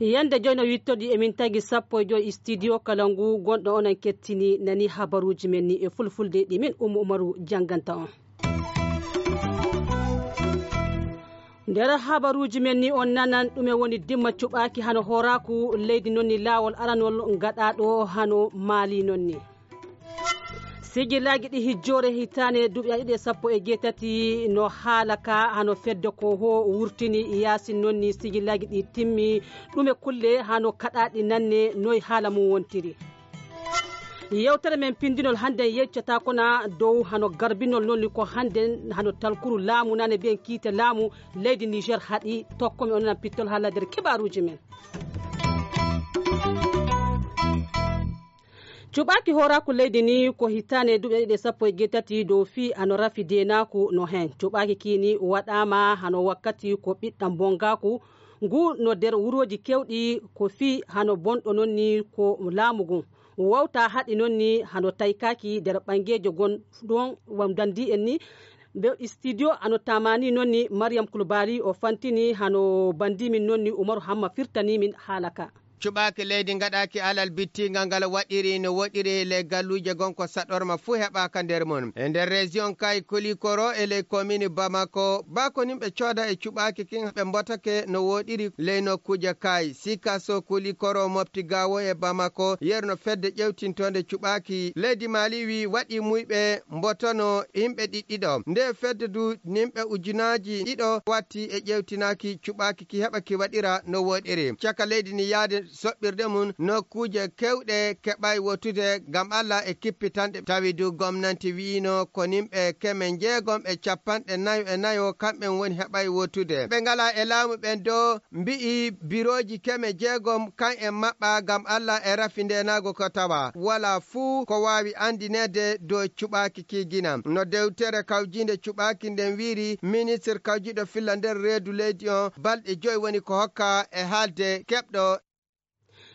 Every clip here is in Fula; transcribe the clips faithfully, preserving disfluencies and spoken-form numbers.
Yande joyno wittoɗi emin tagi sappo e joy studio kala ngu gonɗo onon kettini nani habaruuji men ni e fulfulde ɗi min Ummu Umaru jannganta on. Nder habaruuji men ni on nanan ɗume woni dimma cuɓaaki hano hooraaku leydi non ni laawol aranol ngaɗaaɗo hano Maali non ni. Sijilaaji ɗi hijjoore hitaande duuɓi ɗiɗi e sappo e jeetati no haala ka hano fedde ko ho wurtini yaasin non ni sijilaaji ɗi timmi ɗume kulle hano kaɗaaɗi nanne noy haala mum wontiri. Yewtere men pindinol hannden yeccata kona dow hano garbinol non ni ko hannden hano talkuru laamu nane mbiyen kiite laamu leydi Niger haɗi tokkomi onon pittol haala nder kibaaruuji men. Cuɓaaki hooraaku leydi ni ko hitaande duuɓi ɗiɗi e sappo e jeetati dow fii hano rafi deenaaku no heen. Cuɓaaki kii ni waɗaama hano wakkati ko ɓiɗɗam bongaaku ngu no nder wurooji keewɗi ko fii hano bonɗo non ni ko laamu ngun. Wawta haɗi non ni hano taykaaki nder ɓanngeejo gon ɗon wam danndi en ni ɓe studio hano tamani non ni Mariam Kulbali o fantini hano banndi min non ni Umaru Hamma firtani min haala ka. Cuɓaaki leydi ngaɗaaki alal bittiingal ngal waɗiri no woɗiri ley galluuje gon ko saɗorma fuu heɓaaka nder mum. E nder région Kay Kolikoro e ley commune Bamako, baa ko nin ɓe cooda e cuɓaaki kin ɓe mbotake no woɗiri ley nokkuuje Kay, Sikaso, Kolikoro, Mopti Gawo e Bamako, yeru no fedde ƴewtintoonde cuɓaaki leydi Mali wi waɗi muyɓe mbotono yimɓe ɗiɗɗiɗo. Nde fedde du nimɓe ujunaaji ɗiɗo watti e ƴewtinaaki cuɓaaki ki heɓa ki waɗira no woɗiri. Caka leydi ni yaade soɓɓirde mum nokkuuje kewɗe keɓay wottude ngam Alla e kippitanɗe. Tawi du gomnanti wi'ino ko nimɓe keme njeegom e capanɗe nayo e nayo kamɓen woni heɓay wottude. Ɓe ngala e laamu ɓen do mbi'i birooji keme jeegom kan en maɓɓa ngam Alla e rafi ndeenaago ko tawa wala fuu ko waawi andineede dow cuɓaaki ki gina. No dewtere kawjiinde cuɓaaki nden wiiri, ministir kawjiiɗo filla nder reedu leydi on balɗe joy woni ko hokka e haalde keɓɗo.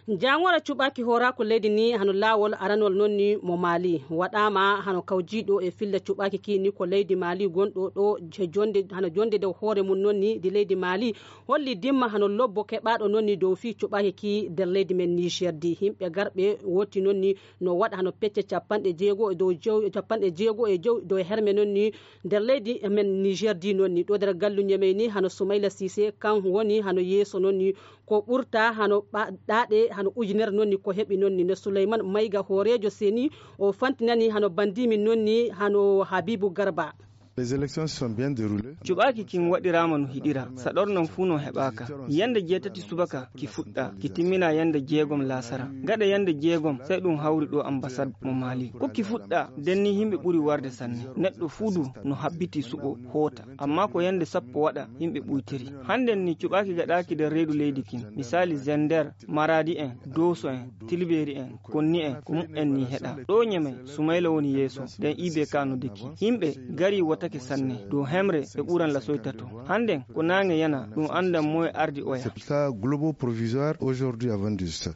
Jaangoora cuɓaaki hooraaku leydi ni hano laawol aranol non ni mo Maali. Waɗaama hano kawjiiɗo e filla cuɓaaki ki ni ko leydi Maali gonɗo ɗo je jonde, hano jonde dow hoore mum non ni di leydi Maali holli dimma hano lobbo keɓaaɗo non ni dow fii cuɓaaki ki nder leydi men Niger di. Yimɓe garɓe woti non ni no waɗa hano pecce capanɗe jeego e dow jew-, capanɗe jeego e jew dow herme non ni nder leydi men Niger di non ni. Ɗo nder gallu Ñemey ni hano Soumaila Cissé kan woni hano yeeso non ni ko ɓurta hano ɓa-, ɗaaɗe hano ujunere non ni ko heɓi non ni no Souleymane Maïga hooreejo seni o fantinani hano bandimin non ni hano Habibou Garba. Les élections se sont bien déroulées. Cuɓaaki kin waɗiraama no hiɗira, saɗornan fuu no heɓaaka. Yande jeetati subaka ki fuɗɗa, ki timmina yande jeegom laasara. Gaɗa yande jeegom, sai ɗum hawri ɗo ambassade mo Mali. Ko ki fuɗɗa, den ni himɓe ɓuri warde sanne. Neɗɗo fuu du no habbiti suɓo hoota. Amma ko yande sappo waɗa, himɓe ɓuytiri. Handen ni cuɓaaki gaɗaaki nder reedu leydi kin. Misali Zender, Maradi en, Doso en, Tilberi en, Konni en, ko mu'en ni heɗa. Ɗo Ñemey, Sumayla woni yeeso, nden I B K no deki. Himɓe gari wotake sanne, dow hemre ɓe ɓuran lasoyta to. Handen ko naange yana, ɗum andan moye ardi oya. C'est pour ça, global provisoire aujourd'hui à vingt-deux.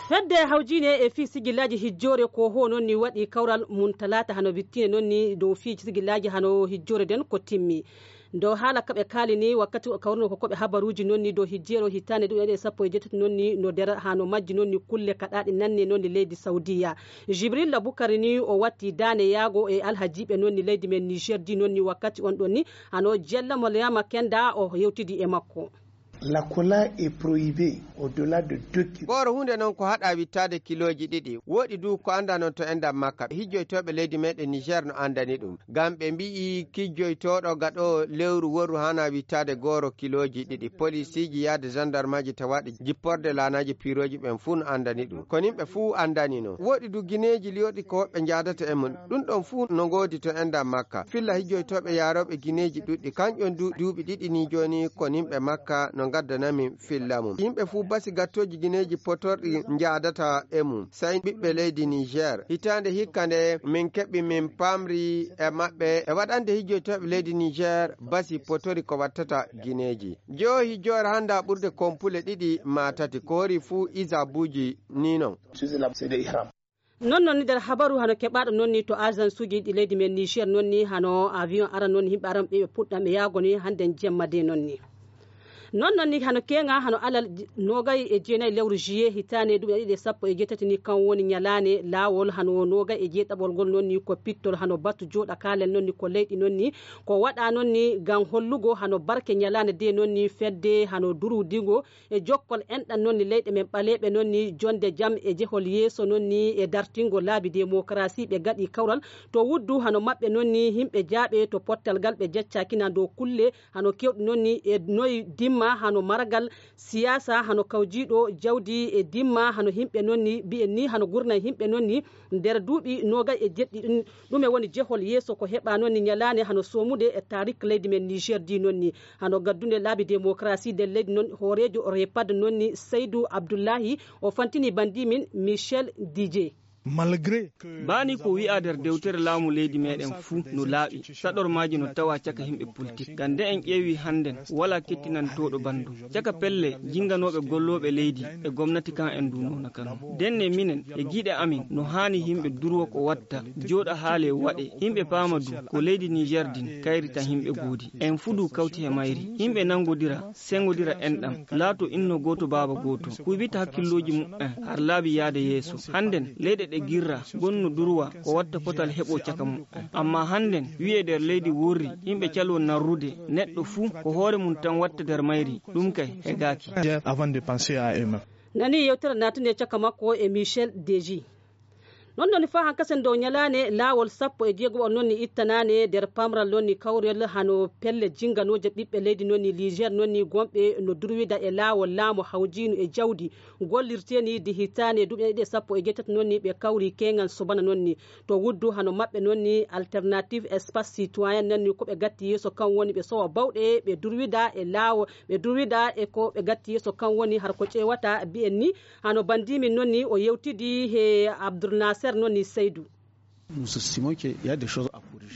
Fedde hawjiine e fii sigillaaji hijjoore ko ho non ni waɗi kawral mum talaata hano bittine non ni dow fii sigillaaji hano hijjoore den ko timmi. Dow haala kaɓe kaali ni wakkati o kawruno ko koɓe habaruuji non ni dow hijjeero hitaande ɗum ene sappo e jeetati non ni no nder hano majji non ni kulle kaɗaaɗe nanne non ni leydi Saudiya. Jibrilla Bukari ni o watti daane yaago e alhajiiɓe non ni leydi men Niger di non ni wakkati on ɗon ni hano Jella Mariama Kenda o yewtidi e makko. La cola est prohibée au-delà de deux kilos. Gooro huunde noon ko haɗaa wittaade kilooji ɗiɗi. Wooɗi du ko anndaa noon to enɗam makka. Hijjoytooɓe leydi meeɗen Niger no anndani ɗum. Ngam ɓe mbi'i kijjoytooɗo gaɗoowo lewru worru haanaa wittaade gooro kilooji ɗiɗi. Polisiiji yaade gendarmeji tawaaɗi jipporde laanaaji piirooji ɓen fuu no anndani ɗum. Ko nimɓe fuu anndani noon. Wooɗi du gineeji liyorɗi ko woɓɓe njaadata e mum. Ɗum ɗon fuu no ngoodi to enɗam makka. Filla hijjoytooɓe yaarooɓe gineeji ɗuɗɗi. Kanƴon du duuɓi ɗiɗi ni jooni ko nimɓe makka no gaddana min filla mum. Yimɓe fuu basi gattooji gineeji potorɗi njaadata e mum, sey ɓiɓɓe leydi Niger. Hitaande hikka nde min keɓi min paamri e maɓɓe e waɗande hijjoytooɓe leydi Niger basi potori ko wattata gineeji. Joo hijjoore hannda ɓurde kompule ɗiɗi maa tati, ko hori fuu isabuuji ni non. Non non ni nder habaru hano keɓaaɗo non ni to agence uji ɗi leydi men Niger non ni hano avion ara non ni yimɓe aran ɓe ɓe puɗɗa ɓe yaago ni hande jemma de non ni. Non non ni hano keŋa hano alal j- nogay e jeenayi lewru juillet hitaane duuɓi ɗiɗi e sappo e jeetati ni kan woni ñalaane laawol hano nogay e jeeɗaɓol ngol non ni ko pittol hano batu jooɗa kaalen non ni ko leyɗi non ni ko waɗa non ni ngam hollugo hano barke ñalaane de non ni fedde hano durwudigo e jokkol enɗan non ni leyɗe men ɓaleeɓe non ni jonde jam e jehol yeeso non ni e dartingo laabi demokarasi ɓe gaɗi kawral to wuddu hano maɓɓe non ni yimɓe jaaɓe to pottal ngal ɓe jeccakina dow kulle hano kewɗi non ni e noy dimma hano maragal siyasa hano kawjiɗo jawdi e dimma hano yimɓe non ni mbiyen ni hano gurna yimɓe non ni nder duuɓi nogay e jeɗɗi ɗin ɗume woni jehol yeeso ko heɓa non ni ñalaane hano somude e tarik leydi men Niger di non ni hano gaddunde laabi démocratie nder leydi non hooreejo repad non ni Seydou Abdullahi o fantini bandimin Michel Didier. Malgré Baani ko wi'a nder dewtere laamu leydi meɗen fuu no laaɓi, saɗormaaji no tawa caka himɓe politik. Ngam nde en ƴeewi hannden, walaa kettinantooɗo banndum. Caka pelle jinnganooɓe gollooɓe leydi e gomnati kan en ndu noona kan. Ndenne minen e giiɗe amin no haani yimɓe durwo ko watta, jooɗa haale waɗe, yimɓe paama du ko leydi Niger din kayrita yimɓe goodi. En fuu du kawti he mayri, yimɓe nanngodira, senngodira enɗam, laato inno gooto baaba gooto, kuybita hakkillooji muɓɓen har laabi yaade yeeso. Hannden leyɗe ɗe girra gonno durwa ko watta potal heɓo caka muɓɓen. Amma hannden wi'e nder leydi worri, yimɓe calo narrude, neɗɗo fuu ko hoore mum tan watta nder mayri, ɗum kay hegaaki. Avant de penser à eux-mêmes. Nani yewtere natunde caka makko e Michel Deji. Non non fa hankasen dow ñalaane laawol sappo e jeegoɓol non ni ittanaane nder pamral non ni kawrel hano pelle jinganooje ɓiɓɓe leydi non ni Niger non ni gonɓe no durwida e laawol laamu hawjiinu e jawdi gollirteeni di hitaane duuɓi ɗiɗi e sappo e jeetati non ni ɓe kawri keŋan sobana non ni to wuddu hano maɓɓe non ni alternative espace citoyen non ni ko ɓe gatti yeeso kan woni ɓe sowa bawɗe ɓe durwida e laawo ɓe durwida e ko ɓe gatti yeeso kan woni har ko ƴeewata mbiyen ni hano bandimin non ni o yewtidi he Abdul Naser non ni Seydu.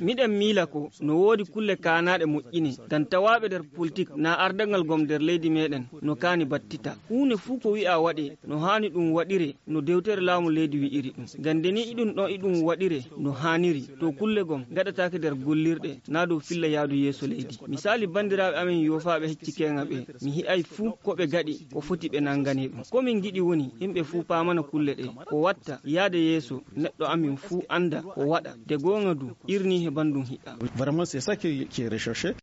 Miɗen miila ko no woodi kulle kaanaaɗe moƴƴine ngam tawaaɓe nder politik na ardagal gom nder leydi meɗen no kaani battita. Huunde fuu ko wi'a waɗe no haani ɗum waɗire no dewtere laamu leydi wi'iri ɗum. Ngam nde ni iɗum ɗon iɗum waɗire no haaniri to kulle gom gaɗataake nder gollirɗe na dow filla yaadu yeeso leydi. Misaali banndiraaɓe amen yoofaaɓe hecci keeŋa ɓe mi hi'ay fuu ko ɓe gaɗi ko foti ɓe nanngane ɗum. Ko min ngiɗi woni yimɓe fuu paamana kulle ɗe ko watta yaade yeeso neɗɗo amin fuu annda ko waɗa de gooŋa du irni he banndum hiɗa. Vraiment, c'est ça qui est, qui est recherché.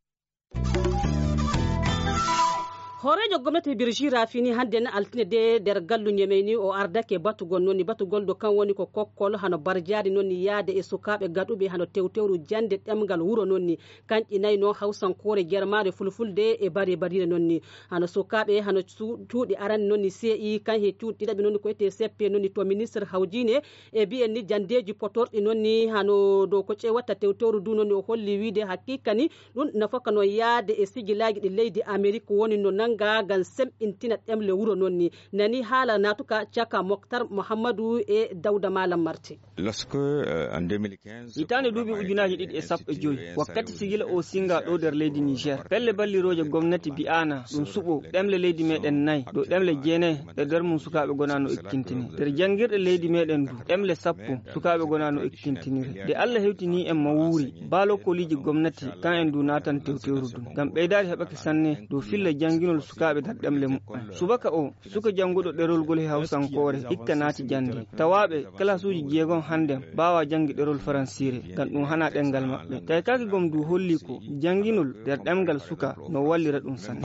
Hooreejo gomnati Birji Rafini hannde na altine de nder gallu Ñemey ni o ardake batugol nonni batugol do kan woni ko kokkol hano barjaari nonni yaade e sukaaɓe gaɗuɓe hano tewtewru jannde ɗemngal wuro nonni kanƴi nayi no hawsankoore germaare fulfulde e bare bariire nonni hano sukaaɓe hano cuuɗi arani nonni C I kan he cuuɗi ɗiɗaɓi nonni ko ete seppe nonni to ministre hawjiine e mbiyen ni janndeeji potorɗi nonni hano dow ko ƴeewata tewtewru du nonni o holli wiide haqiiqa ni ɗum nafaka no yaade e sigilaaji ɗi leydi Amerik woni no nannga ngam semɓintina ɗemle wuro noon ni nani haala naatuka caka Moktar Muhammadu e Dawda Malam Marte. Hitaande duuɓi ujunaaji ɗiɗi e sappo e joy wakkati sigila o singa ɗo nder leydi Niger pelle ballirooje gomnati bi'aana ɗum suɓo ɗemle leydi meɗen nayi ɗo ɗemle jeenayi e nder mum sukaaɓe gona no ekkintini nder janngirɗe leydi meɗen du ɗemle sappo sukaaɓe gona no ekkintinire nde Allah hewtini en mawuuri baa lokoliiji gomnati kan en du naatan tewtewru du ngam ɓeydaari heɓake sanne dow filla jannginol sukaaɓe nder ɗemle muɓɓen subaka o suka jannguɗo ɗerol ngol he hawsankoore hikka naati jannde tawaaɓe kalasuuji jeegom hannden mbaawaa janngi ɗerol faransiire ngam ɗum hanaa ɗemngal maɓɓe tawi kaake gom du holli ko jannginol nder ɗemngal suka no wallira ɗum sanne.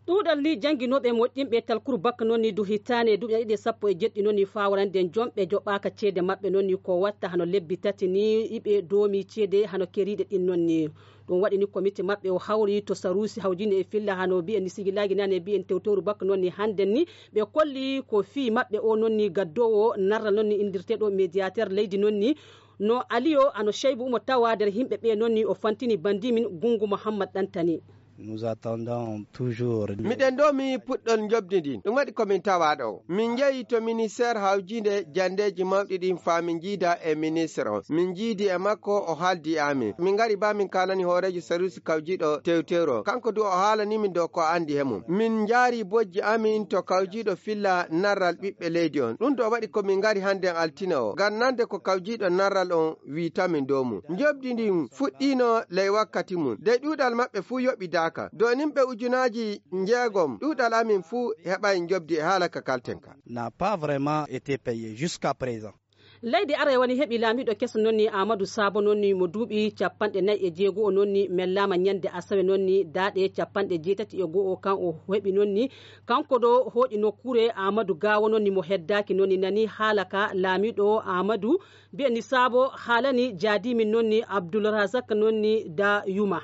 Ɗuuɗal ni jannginooɓe moƴƴinɓe talkuru bakka noon ni du hitaane duuɓi ɗiɗi e sappo e jeɗɗi noon ni faawarande jomɓe joɓaaka ceede maɓɓe noon ni ko watta hano lebbi tati ni iɓe doomi ceede hano keriiɗe ɗin noon ni ɗum waɗi ni komite maɓɓe o hawri to saruusi hawjini e filla hano mbiyen ni sigilaagi nane mbiyen tewtewru bakka noon ni hannden ni ɓe kolli ko fii maɓɓe o noon ni gaddoowo narra noon ni inndirteeɗo médiateur leydi noon ni no aliyo ano cheybu mo tawa nder yimɓe ɓe noon ni o fantini bandimin gunngu muhammad ɗantani. Nous attendons toujours. Miɗen ɗo mi puɗɗol njoɓdi ndin. Ɗum waɗi ko min tawa ɗo. Min njehi to ministère hawjinde janndeeji mawɗi ɗin faa min njiida e ministre on. Min njiidi e makko, o haaldi e amin. Min ngari ba min kaanani hooreejo service kawjiiɗo tewtewro. Kanko du o haalani min dow ko anndi he mum. Min njaari bojji amin to kawjiiɗo filla narral ɓiɓɓe leydi on. Ɗum ɗo waɗi ko min ngari hannden altine o. Ngam nande ko kawjiiɗo narral on wiita min dow mum. Njoɓdi ndin fuɗɗiino ley wakkati mum. De ɗuuɗal maɓɓe fuu yoɓidaaka. Dow nimɓe ujunaaji njeegom, ɗuuɗal amin fuu heɓaay njoɓdi e haala ka kalten ka. N'a pas vraiment été payé jusqu'à présent. Leydi Arewa ni heɓi laamiiɗo keso noon ni Aamadu Saabo noon ni mo duuɓi capanɗe nayi e jeego o noon ni mellaama ñande asawe noon ni daaɗe capanɗe jeetati e go'o kan o heɓi noon ni kanko ɗo hooƴi nokkuure Aamadu Gaawo noon ni mo heddaaki noon ni nani haala ka laamiiɗo Aamadu mbiyen ni Saabo haalani jaadiimin noon ni Abdul Razak noon ni da yuma.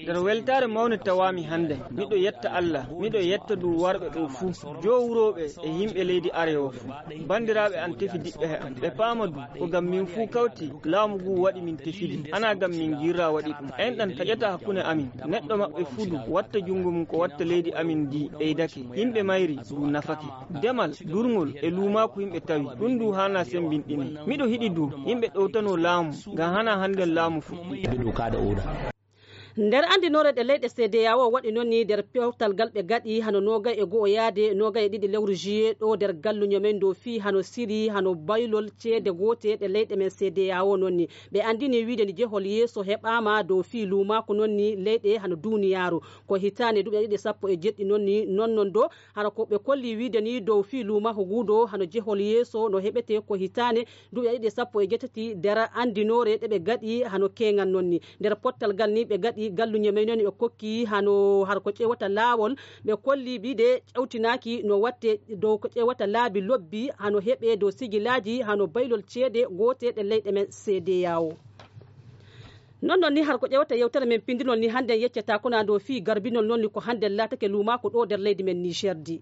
Nder weltaare mawnde tawaami hannde. Miɗo yetta Allah, miɗo yetta du warɓe ɗo fuu, joo wurooɓe e yimɓe leydi Arewa fuu. Banndiraaɓe an tefidiɓɓe he am, ɓe paama du ko ngam min fuu kawti laamu ngu waɗi min tefidi, hanaa ngam min ngirra waɗi ɗum. Enɗan taƴata hakkunde amin. Neɗɗo maɓɓe fuu du watta junngo mum ko watta leydi amin ndi ɓeydake. Yimɓe mayri du nafake. Demal, durngol e luumaaku yimɓe tawi. Ɗum du haanaa semmbinɗinee. Miɗo hiɗi du yimɓe ɗowtanoo laamu, ngam hanaa hannden laamu fuɗɗi. Nder anndinoore ɗe leyɗe C D A O waɗi noon ni nder powtal gal ɓe gaɗi hano noogay e go'o yaade noogay e ɗiɗi lewru juillet ɗo nder galluño men dow fii hano siri hano baylol ceede goote ɗe leyɗe men C D A O noon ni. Ɓe anndini wiide ni jehol yeeso heɓaama dow fii luumaaku noon ni leyɗe hano duuniyaaru. Ko hitaande duuɓi ɗiɗi sappo e jeɗɗi noon ni non non do hano ko ɓe kolli wiide ni dow fii luumaaku guudo hano jehol yeeso no heɓete ko hitaande duuɓi ɗiɗi sappo e jeetati nder anndinoore ɗe ɓe gaɗi hano keeŋan noon ni. Nder pottal gal ni ɓe gaɗi galluñe men noon ɓe kokki hano har ko ƴewata laawol ɓe kolli bide ƴawtinaaki no watte dow ko ƴewata laabi lobbi hano heɓe dow sigilaaji hano baylol ceede goote ɗe leyɗe men C D A O. Non non ni har ko ƴewata yewtere men pindinol ni hannde yeccata ko na dow fii garbinol noon ni ko hannde laatake luumaako ɗo nder leydi men Niger di.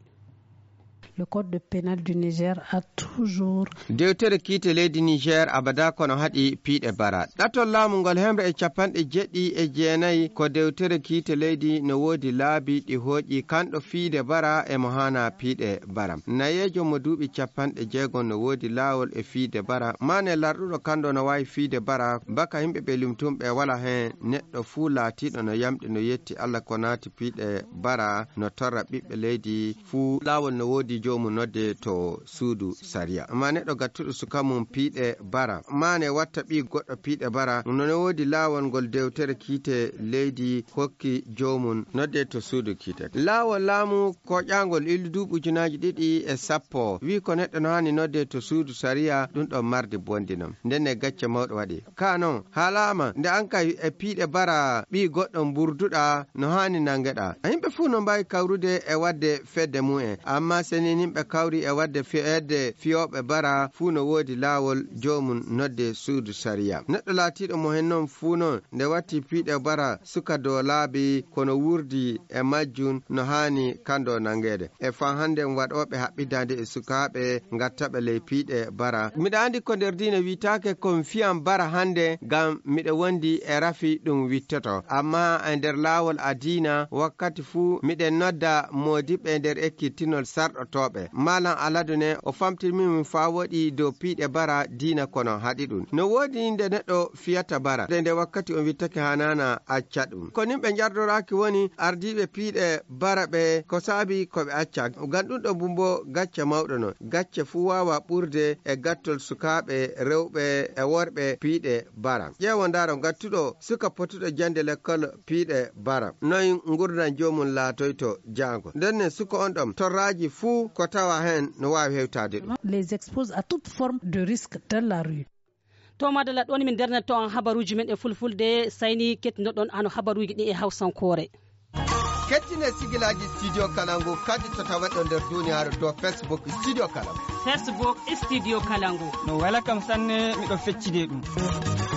Le code pénal du Niger a toujours. Dewtere kiite leydi Niger abada kono haɗi piiɗe bara. Ɗatol laamu ngol hemre e capanɗe jeɗɗi e jeenayi ko dewtere kiite leydi no woodi laabi ɗi hooƴi kanɗo fiide bara e mo haana piiɗe bara. Nayeejo mo duuɓi capanɗe jeegom no woodi laawol e fiide bara. Mane larɗuɗo kanɗo no waawi fiide bara baka yimɓe ɓe limtum ɓe wala heen neɗɗo fuu laatiiɗo no yamɗi no yetti Allah ko naati piiɗe bara no torra ɓiɓɓe leydi fuu laawol no woodi joomum nodde to suudu sariya. Amma neɗɗo gattuɗo suka mum piiɗe bara, mane watta ɓii goɗɗo piiɗe bara, no no woodi laawol ngol dewtere kiite leydi hokki joomum nodde to suudu kiite. Laawol laamu koƴaangol illu duuɓi ujunaaji ɗiɗi e sappo, wi ko neɗɗo no haani nodde to suudu sariya, ɗum ɗon mardi bondinom. Nden e gacce mawɗo waɗi. Ka non, haalaama nde an kay e piiɗe bara ɓii goɗɗo mburduɗa no haani nangeɗa. Yimɓe fuu no mbaawi kawrude e waɗde fedde mum en, amma so ni yimɓe kawri e waɗde fedde fiyooɓe bara fuu no woodi laawol joomum nodde suudu sariya. Neɗɗo laatiiɗo mo hen non fuu non nde watti piiɗe bara suka dow laabi kono wurdi e majjum no haani kando nangeede. E faa hannden waɗooɓe haɓɓidaande e sukaaɓe ngattaɓe ley piiɗe bara. Miɗa anndi ko nder diina wiitaake kon fiyan bara hannde ngam miɗo wondi e rafi ɗum wittoto. Amma e nder laawol a diina wakkati fuu miɗen nodda moodiɓɓe nder ekkitinol sarɗotooɓe. Maalam Aladu ne o famtini min faa woɗi dow piiɗe bara diina kono haɗi ɗum. No woodi nde neɗɗo fiyata bara. Nde nde wakkati on wittake hanana acca ɗum. Ko nin ɓe njardoraaki woni ardiiɓe piiɗe bara ɓe ko saabi ko ɓe acca. Ngam ɗum ɗo bumbo gacce mawɗo non. Gacce fuu waawa ɓurde e gattol sukaaɓe rewɓe e worɓe piiɗe bara. Ƴeewo ndaaro gattuɗo suka potuɗo jande lekkol piiɗe bara. Noy ngurdan joomum laatoyto jaango. Nden nen suka on ɗon torraaji fuu ko tawa heen no waawi hewtaade ɗum. Les expose à toute forme de risque dans la rue. To madalla ɗon min ndernata on habaruuji men e fulfulde sayni kettindoɗon hano habaruuji ɗi e hawsankoore. Kettine sigilaaji Studio Kalangu kadi to tawaɗon nder duniyaaru to Facebook Studio Kalangu. Facebook Studio Kalangu. No wela kam sanne miɗo feccide ɗum.